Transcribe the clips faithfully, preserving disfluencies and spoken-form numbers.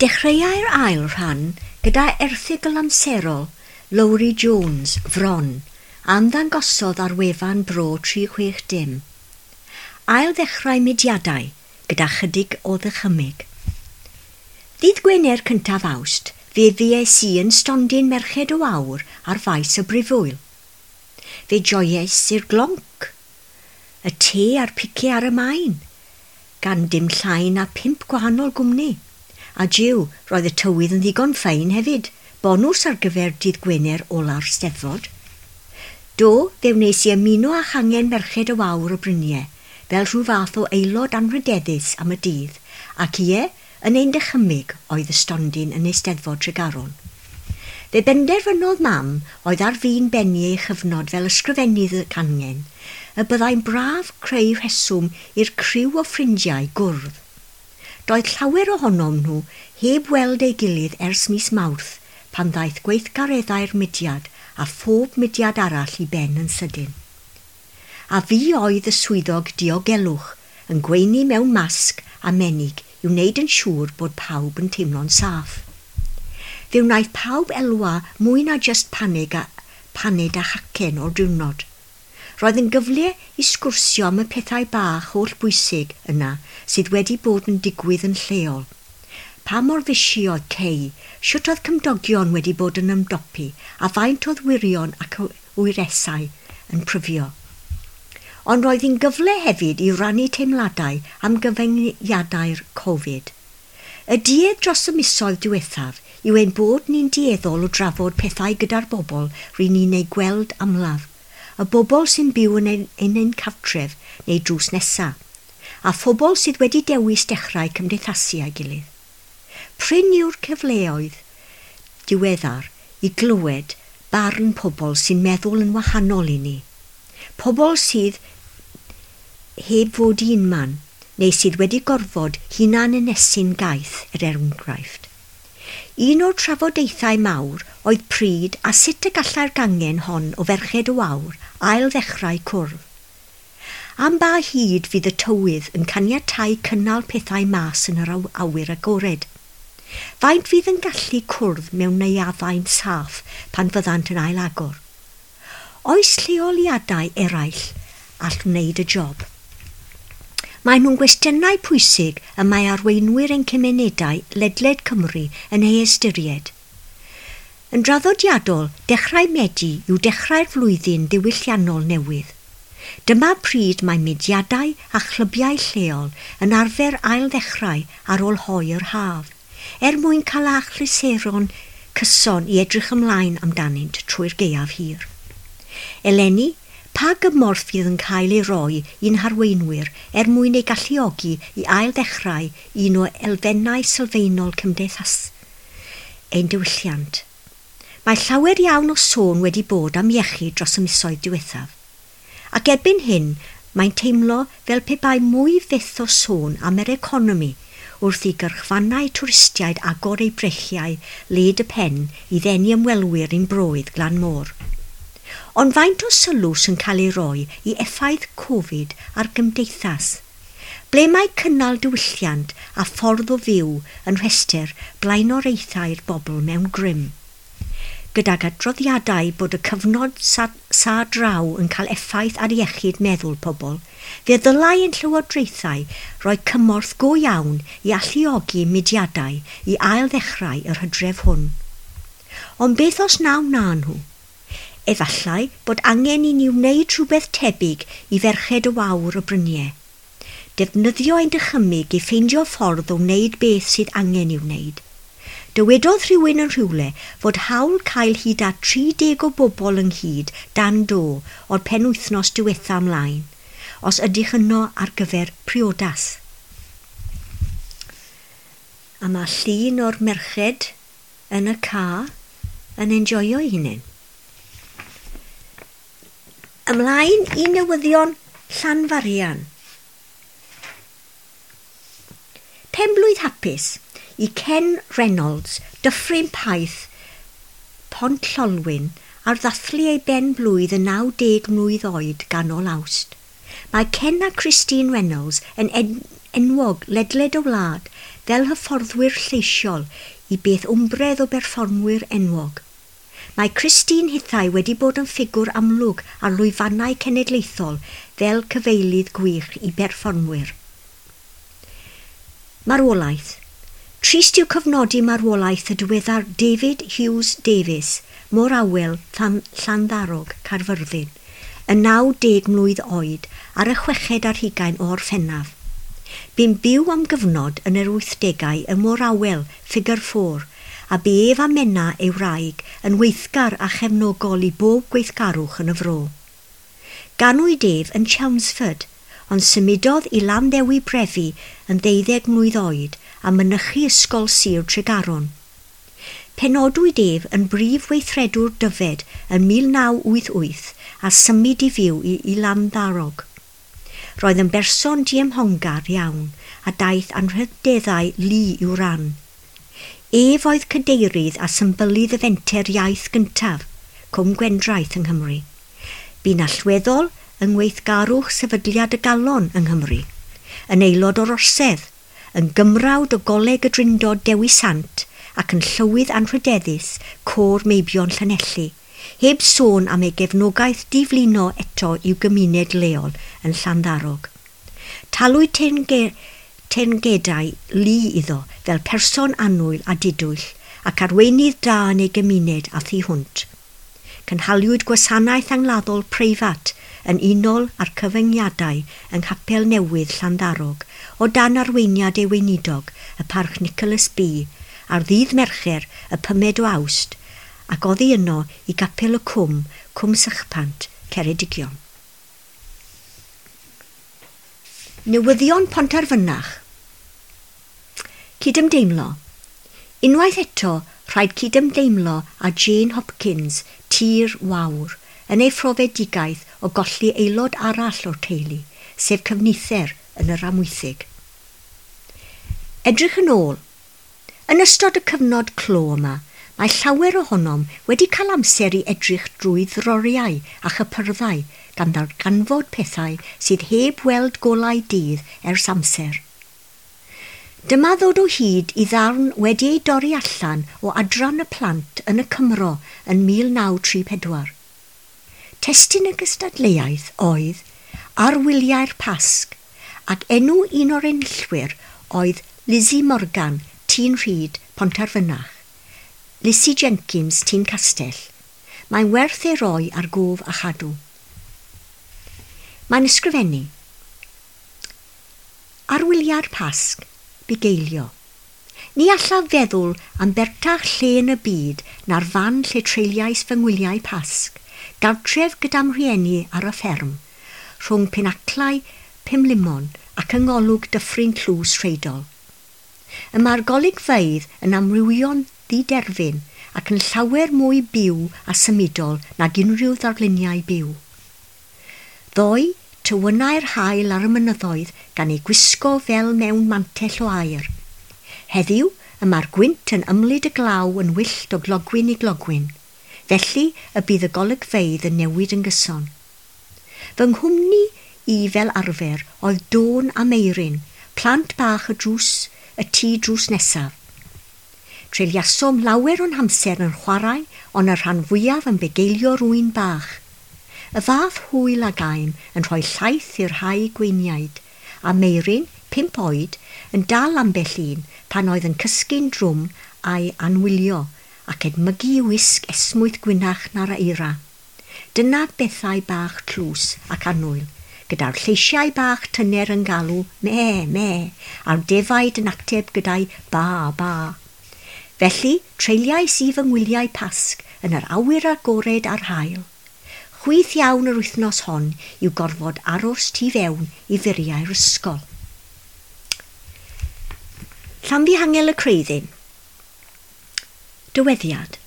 Dechreuai'r ail rhan gyda erthygl amserol Lowri Jones, Fron, a ymddangosodd ar wefan Bro tri chwech dim. Ail ddechrau mudiadau gyda chydig o ddychymyg. Ddydd Gwener cyntaf Awst, fe fues i yn stondin Merched y Wawr ar faes y Brifwyl. Fe joies i'r glonc, y te a'r pice ar y maen, gan dim llai na pump gwahanol gwmni. A jiw, roedd y tywydd yn ddigon ffein hefyd, bonws ar gyfer dydd Gwener ola'r Steddfod. Do, fe wnes i ymuno â changen Merched y Wawr o Bryniau, fel rhyw fath o aelod anrhydeddus am y dydd, ac ie, yn ein dychymyg oedd y stondin yn Eisteddfod Tregaron. Fe benderfynodd mam, oedd ar fin bennu ei chyfnod fel ysgrifennydd y cangen, y byddai'n braf creu rheswm i'r criw o ffrindiau gwrdd. Doedd llawer ohonom nhw heb weld ei gilydd ers mis Mawrth pan ddaeth gweithgareddau'r mudiad a phob mudiad arall i ben yn sydyn. A fi oedd y swyddog diogelwch yn gweini mewn masg a menig i wneud yn siŵr bod pawb yn teimlo'n saff. Fe wnaeth pawb elwa mwy na jyst panig a, paned a chacen o'r diwrnod. Roedd yn gyfle i sgwrsio am y pethau bach holl bwysig yna sydd wedi bod yn digwydd yn lleol. Pa mor fusi oedd cei, sut oedd cymdogion wedi bod yn ymdopi, a faint oedd wirion ac wyresau yn pryfio. Ond roedd hi'n gyfle hefyd i rannu teimladau am gyfyngiadau'r Covid. Y duedd dros y misoedd diwethaf yw ein bod ni'n dueddol o drafod pethau gyda'r bobl ry'n ni'n eu gweld amlaf, y bobl sy'n byw yn ein, yn ein cartref neu drws nesa, a phobl sydd wedi dewis dechrau cymdeithasu â'i gilydd. Prin yw'r cyfleoedd diweddar i glywed barn pobl sy'n meddwl yn wahanol i ni. Pobl sydd heb fod un man, neu sydd wedi gorfod hunan ynysu'n gaeth, er enghraifft. Un o'r trafodaethau mawr oedd pryd a sut y gallai'r gangen hon o Ferched y Wawr ail ddechrau cwrdd. Am ba hyd fydd y tywydd yn caniatáu cynnal pethau mas yn yr awyr agored? Faint fydd yn gallu cwrdd mewn neuaddau'n saff pan fyddant yn ail-agor? Oes lleoliadau eraill all wneud y job? Mae nhw'n gwestiynau pwysig y mae arweinwyr ein cymunedau ledled Cymru yn ei ystyried. Yn draddodiadol, dechrau Medi yw dechrau'r flwyddyn ddiwylliannol newydd. Dyma pryd mae mudiadau a chlybiau lleol yn arfer ail-ddechrau ar ôl hoe yr haf, er mwyn cael achlysuron cyson i edrych ymlaen amdanynt trwy'r gaeaf hir. Eleni, pa gymorth fydd yn cael ei roi i'n harweinwyr er mwyn ei galluogi i ail-ddechrau un o elfennau sylfaenol cymdeithas ein diwylliant? Mae llawer iawn o sôn wedi bod am iechyd dros y misoedd diwethaf. Ac erbyn hyn, mae'n teimlo fel pe bai mwy fyth o sôn am yr economi wrth i gyrchfannau twristiaid agor eu brechiau led y pen i ddenu ymwelwyr i'n broedd glan môr. Ond faint o sylw sy'n cael ei roi i effaith Covid ar gymdeithas? Ble mae cynnal diwylliant a ffordd o fyw yn rhestr blaenoriaethau'r bobl mewn grym? Gydag adroddiadau bod y cyfnod sa, sa draw yn cael effaith ar iechyd meddwl pobl, fe ddylai ein llywodraethau roi cymorth go iawn i alluogi mudiadau i ail-ddechrau yr hydref hwn. Ond beth os na wna nhw? Efallai bod angen i ni wneud rhywbeth tebyg i Ferched y Wawr y Bryniau. Defnyddio ein dychymyg i ffeindio ffordd o wneud beth sydd angen i'w wneud. Dywedodd rhywun yn rhywle fod hawl cael hyd at tri deg o bobl ynghyd dan do o'r penwythnos diwetha ymlaen, os ydych yno ar gyfer priodas. A mae llun o'r merched yn y car yn enjoio eu hunain. Ymlaen i newyddion Llanfarian. Penblwydd hapus i Ken Reynolds, Dyffryn Paith, Pont Llolwyn, ar ddathlu ei ben blwydd yn naw deg mlwydd oed ganol Awst. Mae Ken a Christine Reynolds yn en enwog ledled y wlad fel hyfforddwyr lleisiol i beth wmbredd o berfformwyr enwog. Mae Christine hithau wedi bod yn ffigwr amlwg ar lwyfannau cenedlaethol fel cyfeilydd gwych i berfformwyr. Marwolaeth. Trist yw cofnodi marwolaeth y diweddar David Hughes Davies, Môr Awel, Llanddarog, Caerfyrddin, yn naw deg mlwydd oed ar y chweched ar hugain o Orffennaf. Bu'n byw am gyfnod yn yr wythdegau ym Môr Awel, Figure Four, a bu ef a Menna ei wraig yn weithgar a chefnogol i bob gweithgarwch yn y fro. Ganwyd ef yn Chelmsford, ond symudodd i Landdewi Brefi yn ddeuddeg mlwydd oed a mynychu ysgol Sir Tregaron. Penodwyd ef yn brif weithredwr Dyfed yn mil naw wyth wyth a symud i fyw i, i Landdarog. Roedd yn berson diymhongar iawn a daeth anrhydeddau lu i'w ran. Ef oedd cadeirydd a symbylydd y fenter iaith gyntaf, Cwm Gwendraeth yng Nghymru. Bu'n allweddol yng ngweithgarwch Sefydliad y Galon yng Nghymru, yn aelod o'r Orsedd, yn gymrawd o Goleg y Drindod Dewi Sant ac yn llywydd anrhydeddus Côr Meibion Llanelli, heb sôn am ei gefnogaeth diflino eto i'w gymuned leol yn Llanddarog. Talwyd teyrngedau lu iddo fel person annwyl a didwyll ac arweinydd da yn ei gymuned a thu hwnt. Cynhaliwyd gwasanaeth angladdol preifat yn unol â'r cyfyngiadau yng Nghapel Newydd Llanddarog o dan arweiniad ei weinidog, y Parch Nicholas B, ar ddydd Mercher y pumed o Awst, ac oddi yno i Gapel y Cwm, Cwm Sychpant, Ceredigion. Newyddion Pontarfynach. Cydymdeimlo. Unwaith eto, rhaid cydymdeimlo â Jane Hopkins, Tir Wawr, yn ei phrofedigaeth o golli aelod arall o'r teulu, sef cyfnither yn yr Amwythig. Edrych yn ôl. Yn ystod y cyfnod clo yma, mae llawer ohonom wedi cael amser i edrych drwy ddroriau a chypyrddau gan ddarganfod pethau sydd heb weld golau dydd ers amser. Dyma ddod o hyd i ddarn wedi ei dorri allan o adran y plant yn y Cymro yn mil naw tri pedwar. Testun y gystadleuaeth oedd Ar Wyliau'r Pasg, ac enw un o'r enillwyr oedd Lizzie Morgan, Tîn Rhyd, Pontarfynach. Lizzie Jenkins, Tîn Castell. Mae'n werth ei roi ar gof a chadw. Mae'n ysgrifennu. Ar wyliau'r Pasg, bugeilio. Ni allaf feddwl am bertach lle yn y byd na'r fan lle treuliais fy ngwyliau Pasg, gartref gyda'm rhieni ar y fferm, rhwng pinaclau Pumlumon ac yng ngolwg dyffryn Tlws Rheidol. Y mae'r golygfeydd yn amrywio'n ddiderfyn ac yn llawer mwy byw a symudol nag unrhyw ddarluniau byw. Ddoe, tywynau'r haul ar y mynyddoedd gan ei gwisgo fel mewn mantell o aer. Heddiw, y mae'r gwynt yn ymlid y glaw yn wyllt o glogwyn i glogwyn. Felly, y bydd y golygfeydd yn newid yn gyson. Fy nghwmni i fel arfer oedd Dôn a Meirin, plant bach y drws, y tŷ drws nesaf. Treuliasom lawer o'n hamser yn chwarae, ond y rhan fwyaf yn bugeilio rwy'n bach. Y fath hwyl a gaem yn rhoi llaeth i'r rhai gweiniaid, a Meirin, pump oed, yn dal ambell un pan oedd yn cysgu'n drwm a'i anwylio ac edmygu wisg esmwyth gwynach na'r eira. Dyna bethau bach tlws ac annwyl, gyda'r lleisiau bach tyner yn galw me, me, a'r defaid yn ateb gyda'i ba, ba. Felly, treuliais i fy ngwyliau Pasg yn yr awyr agored a'r haul. Chwith iawn yr wythnos hon yw gorfod aros tu fewn i furiau'r ysgol. Llanfihangel y Creuddyn. Dyweddiad.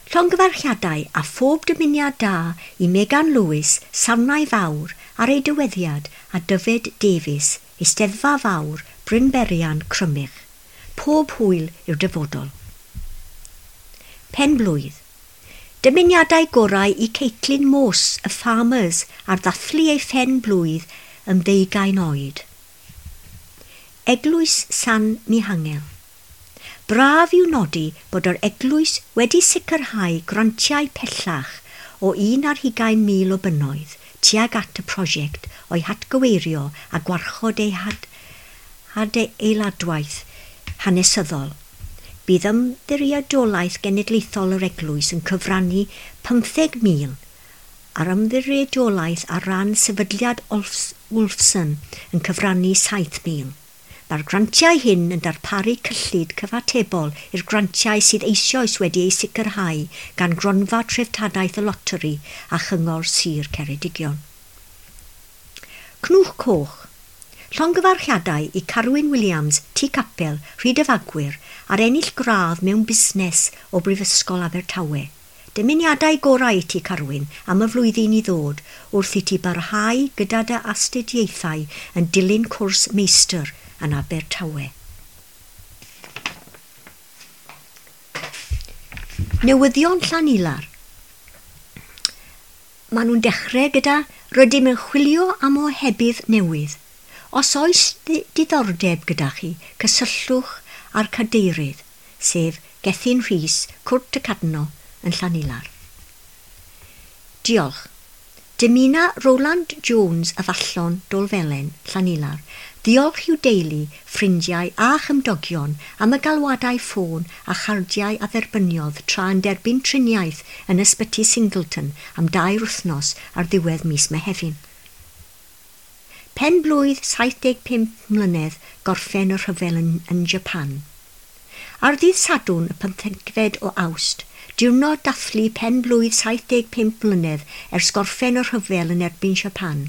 Llongyfarchiadau a phob dymuniad da i Megan Lewis, Sarnau Fawr, ar ei dyweddiad a Dyfed Davies, Eisteddfa Fawr, Brynberian, Crymych. Pob hwyl i'r dyfodol. Penblwydd. Dymuniadau gorau i Caitlin Morse, y Farmers, ar ddathlu ei phen blwydd yn ddeugain oed. Eglwys San Mihangel. Braf yw nodi bod yr eglwys wedi sicrhau grantiau pellach o un ar hugain mil o bunnoedd tuag at y prosiect o'i hatgyweirio a gwarchod ei had hadeiladwaith hanesyddol. Bydd Ymddiriedolaeth Genedlaethol yr Eglwys yn cyfrannu pymtheg mil a'r ymddiriedolaeth ar ran Sefydliad Wolfson yn cyfrannu saith mil. Mae'r grantiau hyn yn darparu cyllid cyfatebol i'r grantiau sydd eisoes wedi eu sicrhau gan Gronfa Treftadaeth y Loteri a Chyngor Sir Ceredigion. Cnwch Coch. Llongyfarchiadau i Carwyn Williams, Tŷ Capel, Rhyd y Fagwyr, ar ennill gradd mewn busnes o Brifysgol Abertawe. Dymuniadau gorau i ti, Carwyn, am y flwyddyn i ddod wrth i ti barhau gyda dy astudiaethau yn dilyn cwrs meistr yn Abertawe. Newyddion Llanilar. Maen nhw'n dechrau gyda rydym yn chwilio am ohebydd newydd. Os oes diddordeb gyda chi, cysylltwch â'r cadeirydd, sef Gethin Rhys, Cwrt y Cadno yn Llanilar. Diolch. Dymuna Roland Jones y Fallon Dolfelen, Llanilar, ddiolch i'w deulu, ffrindiau a chymdogion am y galwadau ffôn a chardiau a dderbyniodd tra yn derbyn triniaeth yn ysbyty Singleton am dair wythnos ar ddiwedd mis Mehefin. Pen blwydd saith deg pump mlynedd gorffen y rhyfel yn, yn Japan. Ar ddydd Sadwrn y pymthegfed o Awst, diwrnod dathlu pen blwydd saith deg pump mlynedd ers gorffen y rhyfel yn erbyn Japan,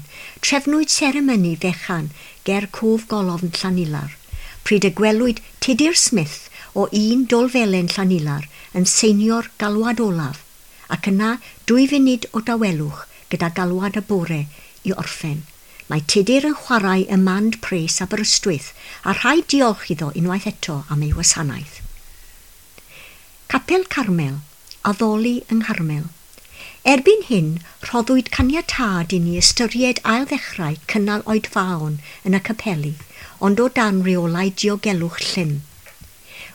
trefnwyd seremoni fechan ger Cof Golofn Llanilar, pryd y gwelwyd Tudur Smith o un Dolfelen Llanilar yn seinio'r galwad olaf, ac yna dwy funud o dawelwch gyda galwad y bore i orffen. Mae Tudur yn chwarae y mand pres Aberystwyth a rhaid diolch iddo unwaith eto am ei wasanaeth. Capel Carmel, addoli yng Ngharmel. Erbyn hyn, rhoddwyd caniatâd i ni ystyried ail-ddechrau cynnal oedfaon yn y capeli, ond o dan reolau diogelwch llym.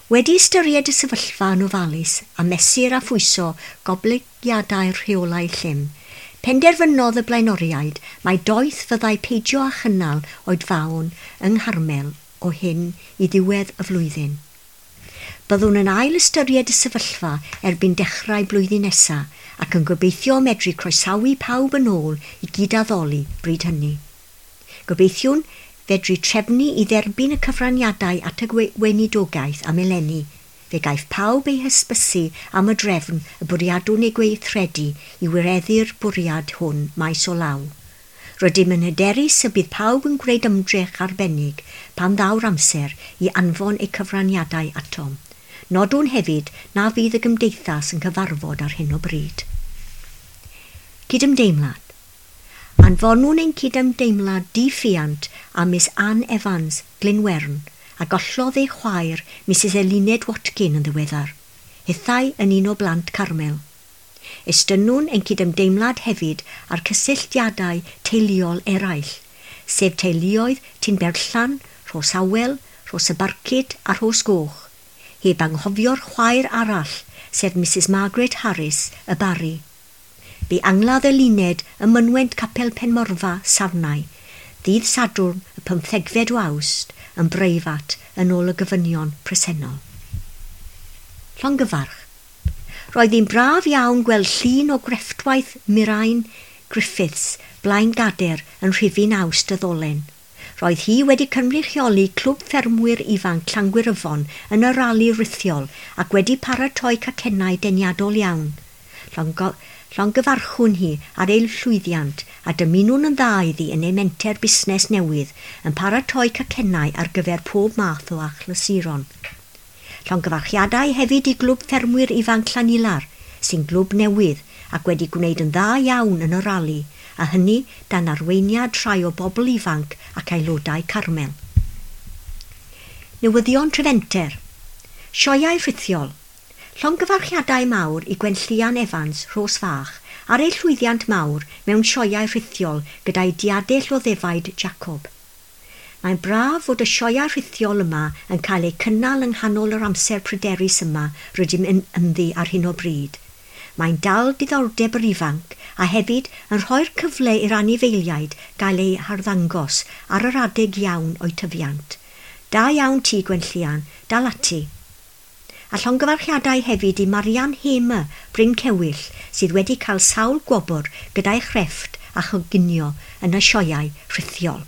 Wedi ystyried y sefyllfa yn ofalus a mesur a phwyso goblygiadau'r rheolau llym, penderfynodd y blaenoriaid mai doeth fyddai peidio â chynnal oedfaon yng Ngharmel o hyn i ddiwedd y flwyddyn. Byddwn yn ail ystyried y sefyllfa erbyn dechrau blwyddyn nesaf ac yn gobeithio medru croesawu pawb yn ôl i gydaddoli bryd hynny. Gobeithiwn fedru trefnu i dderbyn y cyfraniadau at y weinidogaeth am eleni. Fe gaiff pawb ei hysbysu am y drefn y bwriadwn ei gweithredu i wireddu'r bwriad hwn maes o law. Rydym yn hyderus y bydd pawb yn gwneud ymdrech arbennig pan ddaw'r amser i anfon eu cyfraniadau atom. Nodwn hefyd na fydd y gymdeithas yn cyfarfod ar hyn o bryd. Cydymdeimlad. Anfonwn ein cydymdeimlad diffuant am Miss Anne Evans, Glynwern, a gollodd ei chwaer Missus Eluned Watkin yn ddiweddar, hithau yn un o blant Carmel. Estynnwn ein cydymdeimlad hefyd ar cysylltiadau teuluol eraill, sef teuluoedd Tinberllan, Rhos Awel, Rhos y Barcud a Rhos Goch, heb anghofio'r chwaer arall, sef Missus Margaret Harris, y Barri. Bu angladd Eluned ym mynwent Capel Penmorfa, Sarnau, ddydd Sadwrn y pymthegfed o Awst, yn breifat yn ôl y gofynion presennol. Llongyfarch. Roedd hi'n braf iawn gweld llun o grefftwaith Mirain Griffiths blaen gader yn rhifyn Awst y ddolen. Roedd hi wedi cynrychioli Clwb Ffermwyr Ifanc Llangwyryfon yn y rali rithiol ac wedi paratoi cacennau deniadol iawn. Llongo Llongyfarchwn hi ar ei llwyddiant a dymunwn yn dda iddi yn ei menter busnes newydd yn paratoi cacennau ar gyfer pob math o achlysuron. Llongyfarchiadau hefyd i Glwb Ffermwyr Ifanc Llanilar, sy'n glwb newydd ac wedi gwneud yn dda iawn yn y rali, a hynny dan arweiniad rhai o bobl ifanc ac aelodau Carmel. Newyddion Trefenter. Sioeau rhithiol. Llongyfarchiadau mawr i Gwenllian Evans, Rhos Fach, ar ei llwyddiant mawr mewn sioeau rhithiol gyda'i diadell o ddefaid Jacob. Mae'n braf fod y sioeau rhithiol yma yn cael eu cynnal yng nghanol yr amser pryderus yma rydym yn ynddi ar hyn o bryd. Mae'n dal diddordeb yr ifanc a hefyd yn rhoi'r cyfle i'r anifeiliaid gael eu harddangos ar yr adeg iawn o'u tyfiant. Da iawn ti, Gwenllian, dal ati. A llongyfarchiadau hefyd i Marian Hamer, Bryn Cewyll, sydd wedi cael sawl gwobr gyda'i chrefft a choginio yn y sioeau rhithiol.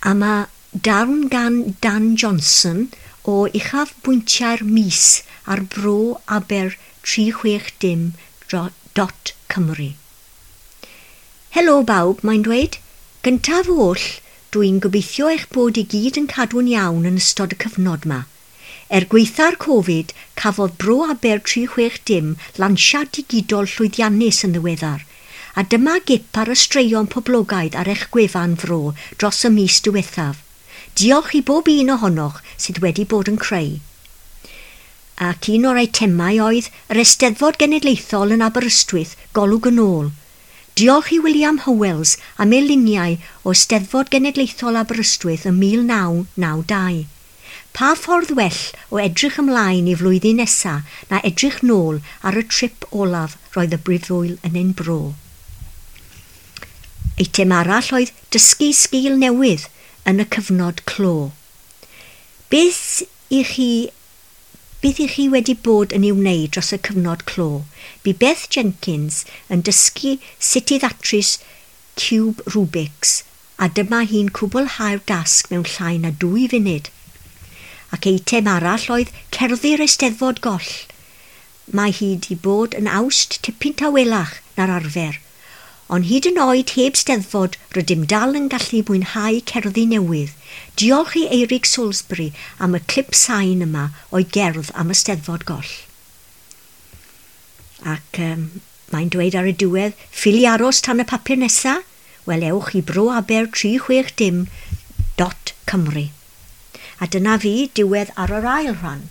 A mae darn gan Dan Johnson o uchafbwyntiau'r mis ar bro aber tri chwech dim dot Cymru. Helo bawb, mae'n dweud. Gyntaf oll, dwi'n gobeithio eich bod i gyd yn cadw'n iawn yn ystod y cyfnod yma. Er gwaetha'r Covid, cafodd Bro Aber tri chwech dim lansiad digidol llwyddiannus yn ddiweddar, a dyma gip ar y straeon poblogaidd ar eich gwefan fro dros y mis diwethaf. Diolch i bob un ohonoch sydd wedi bod yn creu. Ac un o'r eitemau oedd yr Eisteddfod Genedlaethol yn Aberystwyth, Golwg yn ôl. Diolch i William Howells am ei luniau o Eisteddfod Genedlaethol Aberystwyth ym mil naw naw dau. Pa ffordd well o edrych ymlaen i flwyddyn nesa na edrych nôl ar y trip olaf roedd y brifwyl yn ein bro. Eitem arall oedd dysgu sgil newydd yn y cyfnod clo. Beth i chi, beth i chi wedi bod yn ei wneud dros y cyfnod clo? Bu Beth Jenkins yn dysgu sut i ddatrys ciwb Rubik's, a dyma hi'n cwblhau'r dasg mewn llai na dwy funud. Ac eitem arall oedd cerddi'r Eisteddfod goll. Mae hi wedi bod yn awst tipyn tawelach na'r arfer, ond hyd yn oed heb Steddfod rydym dal yn gallu mwynhau cerddi newydd. Diolch i Eirig Salisbury am y clip sain yma o'i gerdd am y Steddfod goll. Ac um, mae'n dweud ar y diwedd, ffili aros tan y papur nesa? Wel, ewch i bro aber tri chwech dim dot Cymru. A dyna fi, diwedd ar yr ail rhan.